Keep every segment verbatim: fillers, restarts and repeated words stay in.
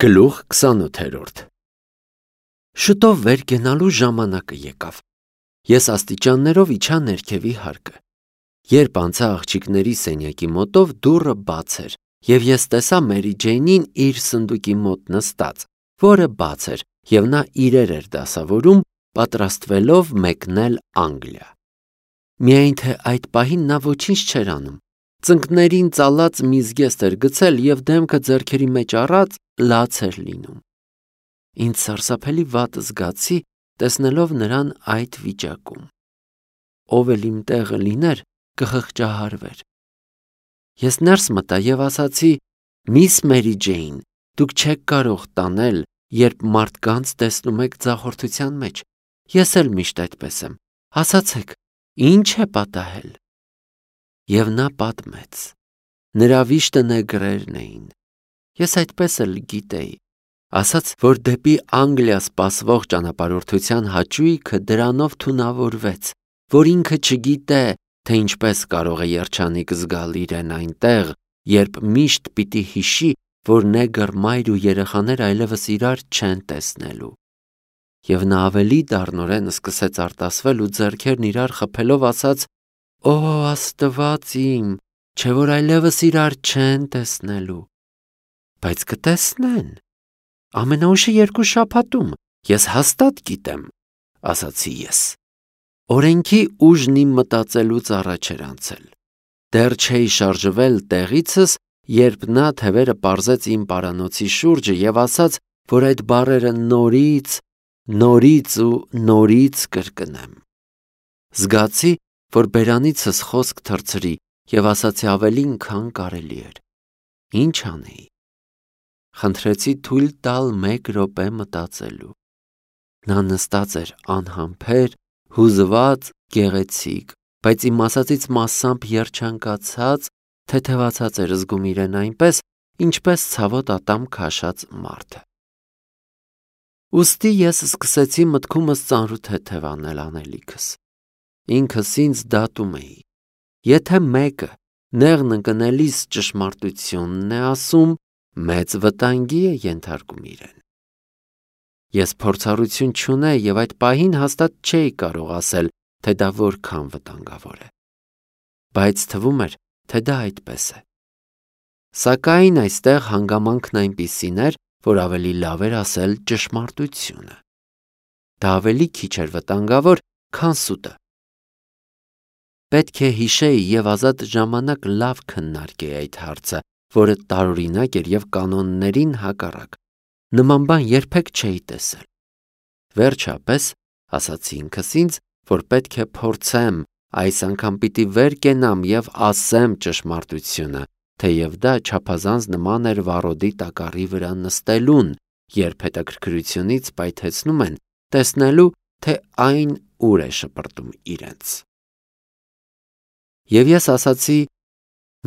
Գլուխ քսանութերորդ Շուտով վեր կենալու ժամանակը եկավ։ Ես աստիճաններով իջա ներքևի հարկը։ Երբ անցա աղջիկների սենյակի մոտով, դուռը բաց էր, և ես տեսա Մերի Ջեյնին իր սնդուկի մոտ նստած, որը բաց էր, և նա իրեր էր դասավորում, պատրաստվելով մեկնել Անգլիա։ Միայն թե այդ պահին նա ոչինչ չէր անում։ Ծնկներին ծալած մի զգեստ էր գցել և դեմքը ձեռքերի մեջ առած լաց էր լինում։ Ինձ սարսափելի վատ զգացի, տեսնելով նրան այդ վիճակում։ Ով էլ իմ տեղը լիներ, կխղճահարվեր։ Ես ներս մտա և ասացի. «Միս Մերի Ջեյն, դուք չեք կարող տանել, երբ մարդկանց տեսնում եք ձախորդության մեջ։ Ես էլ միշտ այդպես եմ։ Ասացեք, ի՞նչ է պատահել»։ Եվ նա պատմեց։ Նրա վիշտը նեգրերն էին։ Ես այդպես էլ գիտեի։ Ասաց, որ դեպի Անգլիա սպասվող ճանապարհորդության հաճույքը դրանով թունավորվեց, որ ինքը չգիտե, թե ինչպես կարող է երջանիկ զգալ իրեն այնտեղ, երբ միշտ պիտի հիշի, որ նեգր մայր ու երեխաներ այլևս իրար չեն տեսնելու։ Եվ նա ավելի դառնորեն սկսեց արտասվել ու ձեռքերն իրար խփելով ասաց. «Օ, Աստված իմ, չէ՞ որ այլևս իրար չեն տեսնելու։ Բայց կտեսնեն։ Ամենաուշը երկու շաբաթում, ես հաստատ գիտեմ», ասացի ես։ Օրենքի ուժն իմ մտածելուց առաջ էր անցել։ Դեռ չէի շարժվել տեղիցս, երբ նա թևերը պարզեց իմ պարանոցի շուրջը և ասաց, որ այդ բառերը նորից, նորից ու նորից կրկնեմ։ Զգացի, որ բերանիցս խոսք թռցրի և ասացի ավելին, քան կարելի էր։ Ինչ անեի։ Խնդրեցի թույլ տալ մեկ րոպե մտածելու։ Նա նստած էր անհամբեր, հուզված, գեղեցիկ, բայց իմ ասածից մասամբ երջանկացած, թեթևացած էր զգում իրեն այնպես, ինչպես ցավոտ ատամ քաշած մարդը։ Ուստի ես սկսեցի մտքումս ծանրութեթև անել անելիքս։ Ինքս ինձ դատում էի։ Եթե մեկը նեղն ընկնելիս ճշմարտությունն է ասում, մեծ վտանգի է ենթարկում իրեն։ Ես փորձառություն չունեի և այդ պահին հաստատ չէի կարող ասել, թե դա որքան վտանգավոր է։ Բայց թվում էր, թե դա այդպես է։ Սակայն այստեղ հանգամանքն այնպիսին էր, որ ավելի լավ էր ասել ճշմարտությունը։ Դա ավելի քիչ էր վտանգավոր, քան սուտը։ Պետք է հիշեի և ազատ ժամանակ լավ քննարկեի այդ հարցը, որը տարօրինակ էր և կանոններին հակառակ։ Նման բան երբեք չէի տեսել։ Վերջապես, ասացի ինքս ինձ, որ պետք է փորձեմ, այս անգամ պիտի վեր կենամ և ասեմ ճշմարտությունը, թեև դա չափազանց նման էր վառոդի տակառի վրա նստելուն, երբ հետաքրքրությունից պայթեցնում են, տեսնելու, թե այն ուր է շպրտում իրենց։ Եվ ես ասացի.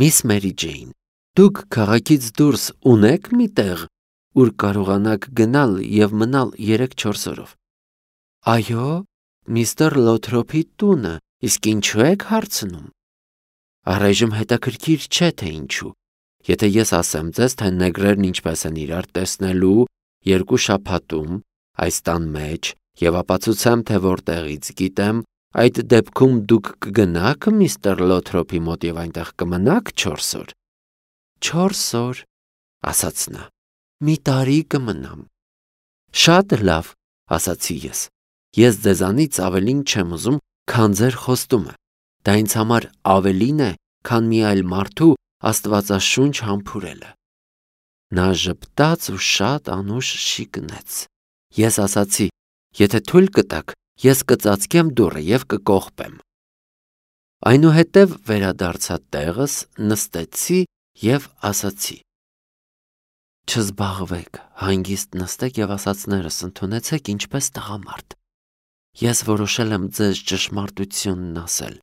«Միս Մերի Ջեյն, դուք քաղաքից դուրս ունե՞ք մի տեղ, ուր կարողանաք գնալ և մնալ երեք-չորս օրով»։ Այո, միստր Լոթրոփի տունը, իսկ ինչու եք հարցնում։ Առայժմ հետաքրքիր չէ, թե ինչու։ Եթե ես ասեմ ձեզ, թե նեգրերն ինչպես են իրար տեսնելու երկու շաբաթում այս տան մեջ և ապացուցեմ, թե որտեղից գիտեմ, այդ դեպքում դուք կգնա՞ք միստր Լոթրոփի մոտ և այնտեղ կմնաք չորս օր։ Չորս օր, ասաց նա, մի տարի կմնամ։ Շատ լավ, ասացի ես։ Ես ձեզանից ավելին չեմ ուզում, քան ձեր խոստումը։ Դա ինձ համար ավելին է, քան մի այլ մարդու աստվածաշունչ համբուրելը։ Նա ժպտաց ու շատ անուշ շիկնեց։ Ես ասացի. «Եթե թույլ կտաք, ես կծածկեմ դուռը և կկողպեմ»։ Այնուհետև վերադարձա տեղս, նստեցի և ասացի. «Չզբաղվեք, հանգիստ նստեք և ասածներս ընդունեցեք ինչպես տղամարդ։ Ես որոշել եմ ձեզ ճշմարտությունն ասել,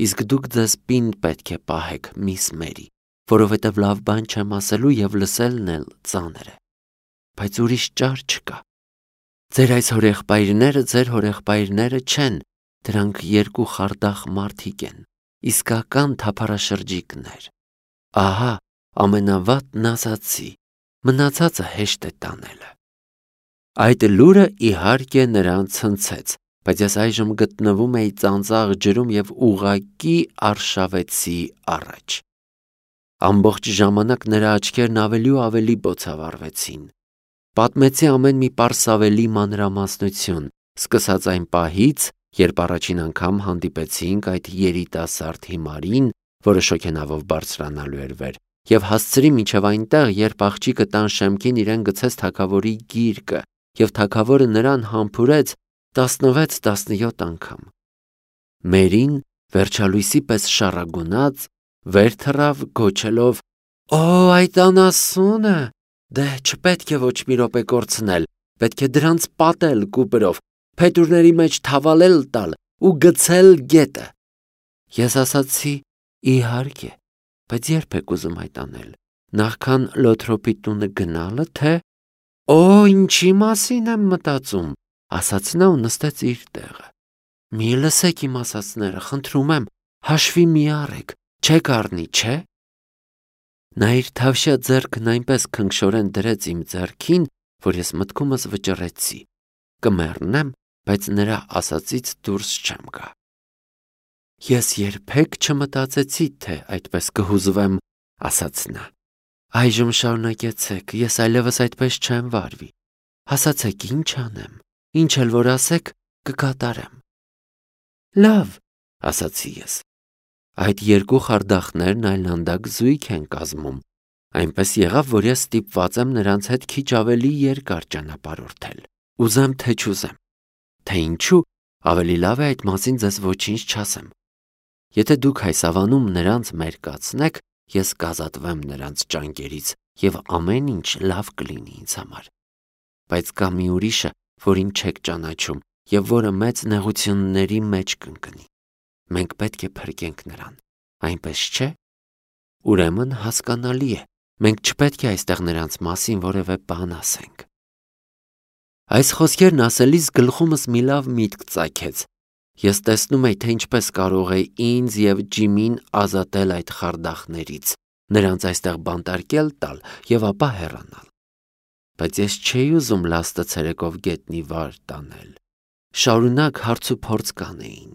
իսկ դուք ձեզ պինդ պետք է պահեք, միս Մերի, որովհետև լավ բան չեմ ասելու և լսելն էլ ծանր է։ Բայց ուրիշ ճար չկա։ Ձեր այս հորեղբայրները ձեր հորեղբայրները չեն, դրանք երկու խարդախ մարդիկ են, իսկական թափառաշրջիկներ։ Ահա ամենավատն ասացի, մնացածը հեշտ է տանելը։ Այդ լուրը իհարկե նրան ցնցեց, բայց ես այժմ գտնվում էի ծանծաղ ջրում և ուղղակի արշավեցի առաջ։ Ամբողջ ժամանակ նրա աչքերն ավելի ու ավելի բոցավառվեցին։ Պատմեցի ամեն մի պարսավելի մանրամասնություն, սկսած այն պահից, երբ առաջին անգամ հանդիպեցինք այդ երիտասարդ հիմարին, որը շոգենավով բարձրանալու էր վեր, և հասցրի մինչև այնտեղ, երբ աղջիկը տան շեմքին իրեն գցեց թագավորի գիրկը, և թագավորը նրան համբուրեց տասնվեց-տասնյոթ անգամ։ Մերին վերջալույսի պես շառագունած վեր թռավ, գոչելով. «Օ, այդ անասունը, դե չպետք է ոչ մի րոպե կորցնել, պետք է դրանց պատել կուպրով, փետուրների մեջ թավալել տալ ու գցել գետը»։ Ես ասացի. «Իհարկե, բայց երբ եք ուզում այդ անել, նախքան Լոթրոպի տունը գնալը, թե»։ «Օ, ինչի մասին եմ մտածում», ասաց նա ու նստեց իր տեղը։ «Մի լսեք իմ ասածները, խնդրում եմ, հաշվի մի առեք, չեք առնի, չէ»։ Նա իր թավշյա ձեռքն այնպես քնքշորեն դրեց իմ ձեռքին, որ ես մտքումս վճռեցի. կմեռնեմ, բայց նրա ասածից դուրս չեմ գա։ «Ես երբեք չմտածեցի, թե այդպես կհուզվեմ», ասաց նա։ «Այժմ շարունակեցեք, ես այլևս այդպես չեմ վարվի։ Ասացեք, ինչ անեմ, ինչ էլ որ ասեք, կկատարեմ»։ «Լավ», ասացի ես։ Այդ երկու խարդախներն այլանդակ զույգ են կազմում, այնպես եղավ, որ ես ստիպված եմ նրանց հետ քիչ ավելի երկար ճանապարհորդել։ Ուզեմ թե չուզեմ, թե ինչու, ավելի լավ է այդ մասին ձեզ ոչինչ չասեմ։ Եթե դուք այս ավանում նրանց մերկացնեք, ես կազատվեմ նրանց ճանկերից և ամեն ինչ լավ կլինի ինձ համար։ Բայց կա մի ուրիշը, որին չեք ճանաչում և որը մեծ նեղությունների մեջ կընկնի։ Մենք պետք է փրկենք նրան, այնպես չէ՞։ Ուրեմն հասկանալի է, մենք չպետք է այստեղ նրանց մասին որևէ բան ասենք։ Այս խոսքերն ասելիս գլխումս մի լավ միտք ծագեց։ Ես տեսնում էի, թե ինչպես կարող է ինձ և Ջիմին ազատել այդ խարդախներից, նրանց այստեղ բանտարկել տալ և ապա հեռանալ։ Բայց ես չէի ուզում լաստը ցերեկով գետնի վար տանել։ Շարունակ հարցուփորձ կանեին։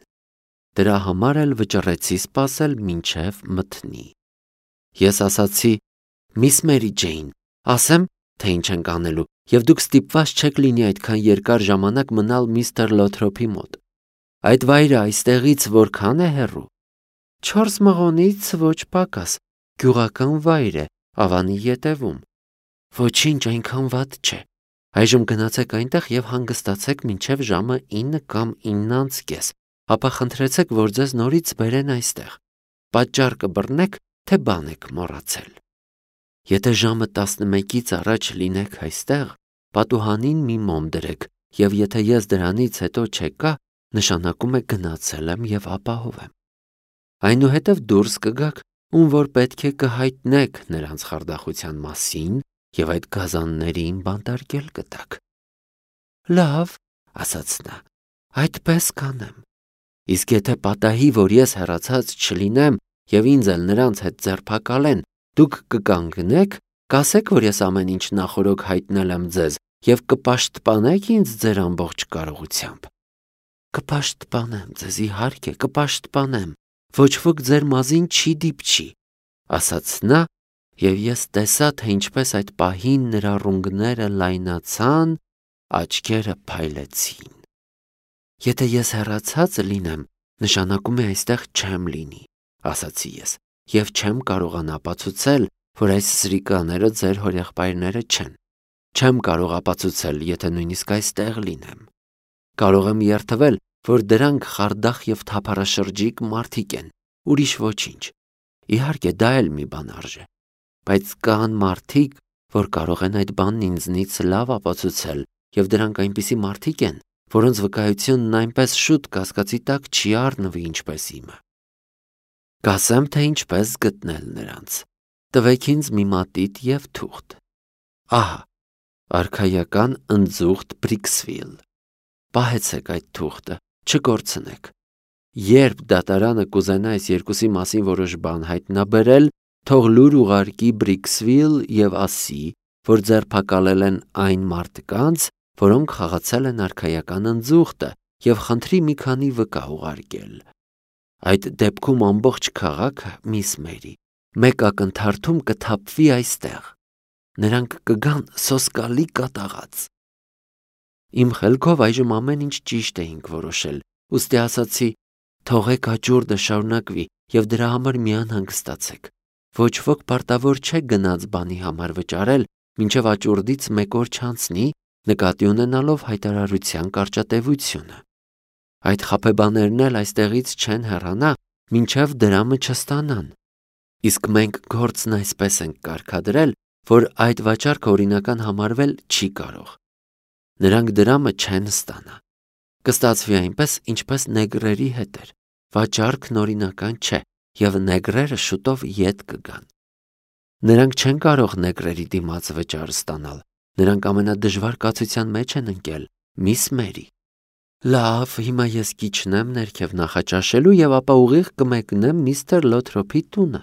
Դրա համար էլ վճռեցի սպասել մինչև մթնի։ Ես ասացի. «Միս Մերի Ջեյն, ասեմ, թե ինչ ենք անելու, և դուք ստիպված չեք լինի այդքան երկար ժամանակ մնալ միստր Լոթրոփի մոտ։ Այդ վայրը այստեղից որքան է հեռու»։ «Չորս մղոնից ոչ պակաս, գյուղական վայր է, ավանի ետևում»։ «Ոչինչ, այնքան վատ չէ։ Այժմ գնացեք այնտեղ և հանգստացեք մինչև ժամը ինը կամ ինն անց կես, ապա խնդրեցեք, որ ձեզ նորից բերեն այստեղ։ Պատճառ կբռնեք, թե բան եք մոռացել։ Եթե ժամը տասնմեկից առաջ լինեք այստեղ, պատուհանին մի մոմ դրեք, և եթե ես դրանից հետո չեկա, նշանակում է գնացել եմ և ապահով եմ։ Այնուհետև դուրս կգաք, ում որ պետք է կհայտնեք նրանց խարդախության մասին և այդ գազաններին բանտարկել կտաք»։ «Լավ», ասաց նա, «այդպես կանեմ։ Իսկ եթե պատահի, որ ես հեռացած չլինեմ և ինձ էլ նրանց հետ ձերբակալեն, դուք կկանգնեք, կասեք, որ ես ամեն ինչ նախօրոք հայտնել եմ ձեզ և կպաշտպանեք ինձ ձեր ամբողջ կարողությամբ»։ «Կպաշտպանեմ ձեզ, իհարկե, կպաշտպանեմ, ոչ ոք ձեր մազին չի դիպչի», ասաց նա, և ես տեսա, թե ինչպես այդ պահին նրա ռունգները լայնացան, աչքերը փայլեցին։ «Եթե ես հեռացած լինեմ, նշանակում է այստեղ չեմ լինի», ասացի ես, «և չեմ կարողանա ապացուցել, որ այս սրիկաները ձեր հորեղբայրները չեն։ Չեմ կարող ապացուցել, եթե նույնիսկ այստեղ լինեմ։ Կարող եմ երդվել, որ դրանք խարդախ և թափառաշրջիկ մարդիկ են, ուրիշ ոչինչ։ Իհարկե, դա էլ մի բան արժե։ Բայց կան մարդիկ, որ կարող են այդ բանն ինձնից լավ ապացուցել, և դրանք այնպիսի մարդիկ են, որոնց վկայությունն այնպես շուտ կասկածի տակ չի առնվի, ինչպես իմը։ Կասեմ, թե ինչպես գտնել նրանց։ Տվեք ինձ մի մատիտ և թուղթ։ Ահա, արքայական ընձուղտ Բրիքսվիլ։ Պահեցեք այդ թուղթը, չկորցնեք։ Երբ դատարանը կուզենա այս երկուսի մասին որոշ բան հայտնաբերել, թող լուր ուղարկի Բրիքսվիլ և ասի, որ ձերբակալել են այն մարդկանց, որոնք խաղացել են արքայական ընձուղտը եւ խնդրի մի քանի վկա ուղարկել։ Այդ դեպքում ամբողջ քաղաքը, միս Մերի, մեկ ակնթարթում կթափվի այստեղ։ Նրանք կգան սոսկալի կատաղած։ Իմ խելքով այժմ ամեն ինչ ճիշտ էինք որոշել, ուստի ասացի. թողեք աճուրդը շարունակվի եւ դրա համար մի անհանգստացեք։ Ոչ ոք պարտավոր չէ գնաց բանի համար վճարել, մինչև աճուրդից մեկ օր չանցնի, նկատի ունենալով հայտարարության կարճատևությունը։ Այդ խաբեբաներն էլ այստեղից չեն հեռանա, մինչև դրամը չստանան։ Իսկ մենք գործն այսպես ենք կարգադրել, որ այդ վաճառքը օրինական համարվել չի կարող։ Նրանք դրամը չեն ստանա։ Կստացվի այնպես, ինչպես նեգրերի հետ էր։ Վաճառքն օրինական չէ, եւ նեգրերը շուտով ետ կգան։ Նրանք չեն կարող նեգրերի դիմաց վճար ստանալ։ Նրանք ամենադժվար կացության մեջ են ընկել, միս Մերի։ Լավ, հիմա ես կիջնեմ ներքև նախաճաշելու եւ ապա ուղիղ կմեկնեմ միստր Լոթրոփի տունը։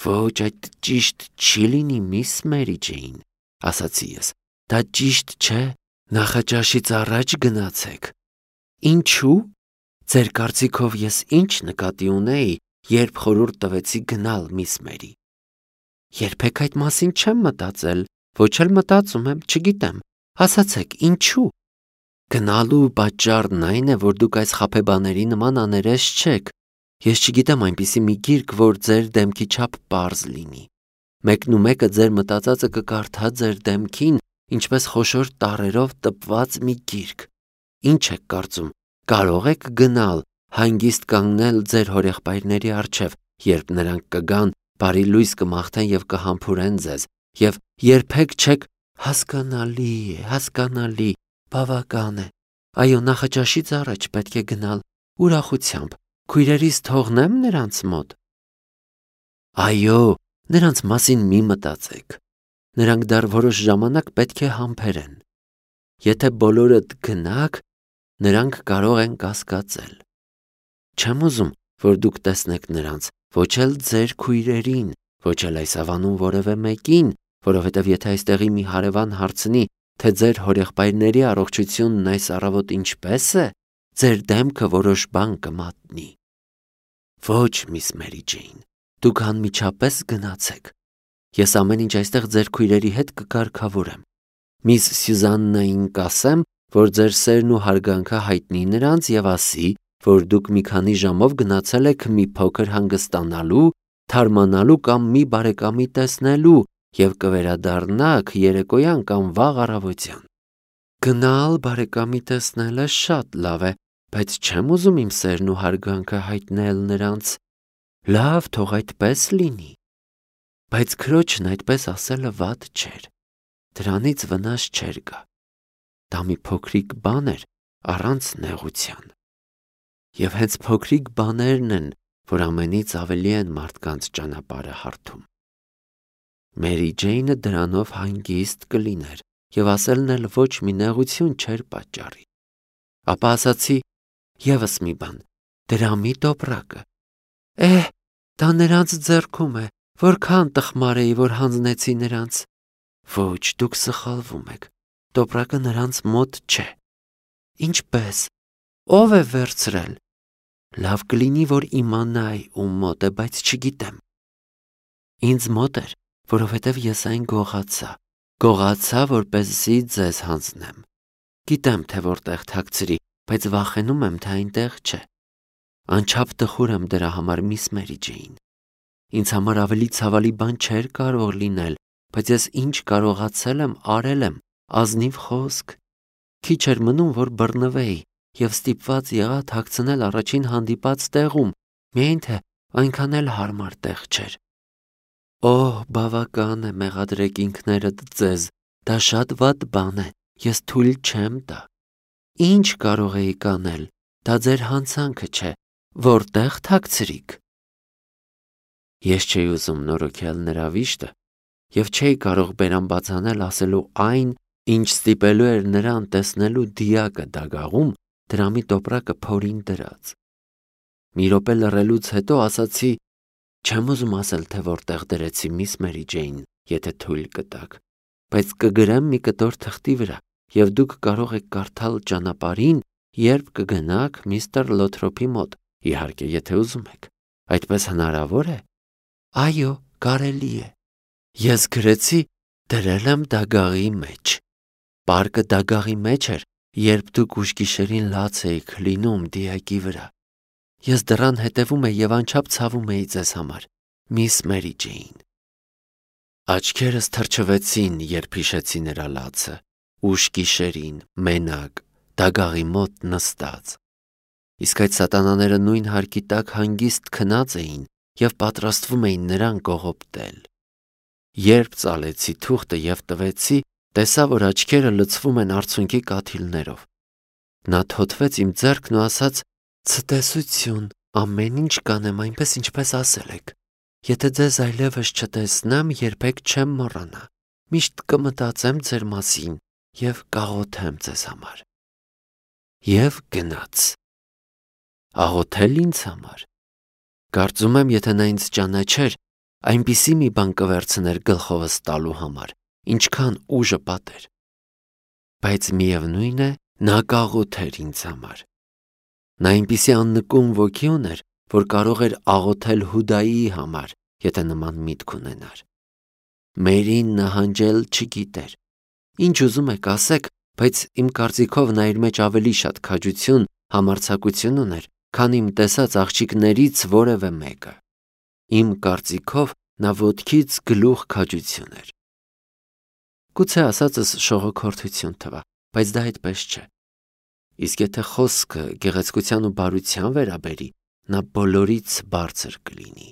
Ոչ, այդ ճիշտ չի լինի, միս Մերի Ջեյն, ասացի ես։ Դա ճիշտ չէ, նախաճաշից առաջ գնացեք։ Ինչու՞։ Ձեր կարծիքով ես ինչ նկատի ունեի, երբ խորհուրդ տվեցի գնալ, միս Մերի։ Երբեք այդ մասին չեմ մտածել, ոչ էլ մտածում եմ, չգիտեմ։ Ասացեք, ինչու՞։ Գնալու պատճառն այն է, որ դուք այս խաբեբաների նման աներես չեք։ Ես չգիտեմ այնպիսի մի գիրք, որ ձեր դեմքի չափ պարզ լինի։ Մեկն ու մեկը ձեր մտածածը կկարդա ձեր դեմքին, ինչպես խոշոր տառերով տպված մի գիրք։ Ինչ եք կարծում, կարող եք գնալ, հանգիստ կանգնել ձեր հորեղբայրների առջև, երբ նրանք կգան, բարի լույս կմաղթեն եւ կհամբուրեն ձեզ, եւ երբեք չեք հասկանալի է, հասկանալի, բավական է։ Այո, նախաճաշից առաջ պետք է գնալ ուրախությամբ։ Քույրերիս թողնեմ նրանց մոտ։ Այո, նրանց մասին մի մտածեք։ Նրանք դեռ որոշ ժամանակ պետք է համբերեն։ Եթե բոլորդ գնաք, նրանք կարող են կասկածել։ Չեմ ուզում, որ դուք տեսնեք նրանց, ոչ էլ ձեր քույրերին, ոչ էլ այս ավանում որևէ մեկին, որովհետև եթե այստեղի մի հարևան հարցնի, թե ձեր հորեղբայրների առողջությունն այս առավոտ ինչպես է, ձեր դեմքը որոշ բան կմատնի։ Ոչ, միս Մերի Ջեյն, դուք անմիջապես գնացեք։ Ես ամեն ինչ այստեղ ձեր քույրերի հետ կկարգավորեմ։ Միս Սյուզաննային կասեմ, որ ձեր սերն ու հարգանքը հայտնի նրանց եւ ասի, որ դուք մի քանի ժամով գնացել եք մի փոքր հանգստանալու, թարմանալու կամ մի բարեկամի տեսնելու եւ կվերադառնաք երեկոյան կամ վաղ առավոտյան։ Գնալ բարեկամի տեսնելը շատ լավ է, բայց չեմ ուզում իմ սերն ու հարգանքը հայտնել նրանց։ Լավ, թող այդպես լինի։ Բայց քրոջն այդպես ասելը վատ չէր։ Դրանից վնաս չէր գա։ Դա մի փոքրիկ բան էր առանց նեղության։ Եվ հենց փոքրիկ բաներն են, որ ամենից ավելի են մարդկանց ճանապարհը հարթում։ Մերի Ջեյնը դրանով հանգիստ կլիներ եւ ասելն էլ ոչ մի նեղություն չէր պատճառի։ Ապա ասացի եւս մի բան, դրամի տոպրակը։ Էհ, դա նրանց ձեռքում է, որքան տխմար էի, որ հանձնեցի նրանց։ Ոչ, դուք սխալվում եք, տոպրակը նրանց մոտ չէ։ Ինչպես, ով է վերցրել։ Լավ կլինի, որ իմանայի ում մոտ է, բայց չգիտեմ։ Ինձ մոտ էր, որովհետև ես այն գողացա, գողացա, որպեսզի ձեզ հանձնեմ։ Գիտեմ, թե որտեղ թաքցրի, բայց վախենում եմ, թե այնտեղ չէ։ Անչափ տխուր եմ դրա համար, միս Մերի Ջեյն։ Ինձ համար ավելի ցավալի բան չէր կարող լինել, բայց ես ինչ կարողացել եմ, արել եմ, ազնիվ խոսք։ Քիչ էր մնում, որ բռնվեի եւ ստիպված եղա թաքցնել առաջին հանդիպած տեղում, միայն թե այնքան էլ հարմար տեղ չէր։ Օհ, բավական է, մեղադրեք ինքներդ ձեզ, դա շատ վատ բան է, ես թույլ չեմ տա։ Ինչ կարող էի կանել, դա ձեր հանցանքը չէ, որտեղ թաքցրիք։ Ես չէի ուզում նորոգել նրա վիշտը եւ չէի կարող բերան բացանել ասելու այն, ինչ ստիպելու էր նրան տեսնելու դիակը դագաղում, դրամի տոպրակը փորին դրած։ Մի րոպե լռելուց հետո ասացի. չեմ ուզում ասել, թե որտեղ դրեցի, միս Մերի Ջեյն, եթե թույլ կտաք, բայց կգրեմ մի կտոր թղթի վրա, եւ դուք կարող եք կարդալ ճանապարհին, երբ կգնաք միստր Լոթրոփի մոտ, իհարկե, եթե ուզում եք։ Այդպես հնարավոր է։ Այո, կարելի է։ Ես գրեցի, դրել եմ դագաղի մեջ։ Պարկը դագաղի մեջ էր, երբ դուք ուշ գիշերին լաց էիք լինում դիակի վրա։ Ես դռան հետևում էի եւ անչափ ցավում էի ձեզ համար, միս Մերի Ջեյն։ Աչքերս թրջվեցին, երբ հիշեցի նրա լացը, ուշ գիշերին, մենակ, դագաղի մոտ նստած։ Իսկ այդ սատանաները նույն հարկի տակ հանգիստ քնած էին եւ պատրաստվում էին նրան կողոպտել։ Երբ ծալեցի թուղթը եւ տվեցի, տեսա, որ աչքերը լցվում են արցունքի կաթիլներով։ Նա թոթվեց իմ ձեռքն ու ասաց. «Ցտեսություն, ամեն ինչ կանեմ այնպես, ինչպես ասել եք։ Եթե ձեզ այլևս չտեսնեմ, երբեք չեմ մոռանա։ Միշտ կմտածեմ ձեր մասին եւ կաղոթեմ ձեզ համար»։ Եվ գնաց։ Աղոթել ինձ համար։ Կարծում եմ, եթե նա ինձ ճանաչեր, այնպիսի մի բան կվերցներ գլխովս տալու համար, ինչքան ուժը պատեր։ Բայց միևնույն է, նա կաղոթեր ինձ համար։ Նա այնպիսի աննկուն ոգի ուներ, որ կարող էր աղոթել Հուդայի համար, եթե նման միտք ունենար։ Մերին նահանջել չգիտեր։ Ինչ ուզում եք ասեք, բայց իմ կարծիքով նա իր մեջ ավելի շատ քաջություն, համարձակություն ուներ, քան իմ տեսած աղջիկներից որևէ մեկը։ Իմ կարծիքով նա ոտքից գլուխ քաջություն էր։ Գուցե ասածս շողոքորթություն թվա, բայց դա այդպես չէ։ Իսկ եթե խոսքը գեղեցկության ու բարության վերաբերի, նա բոլորից բարձր կլինի։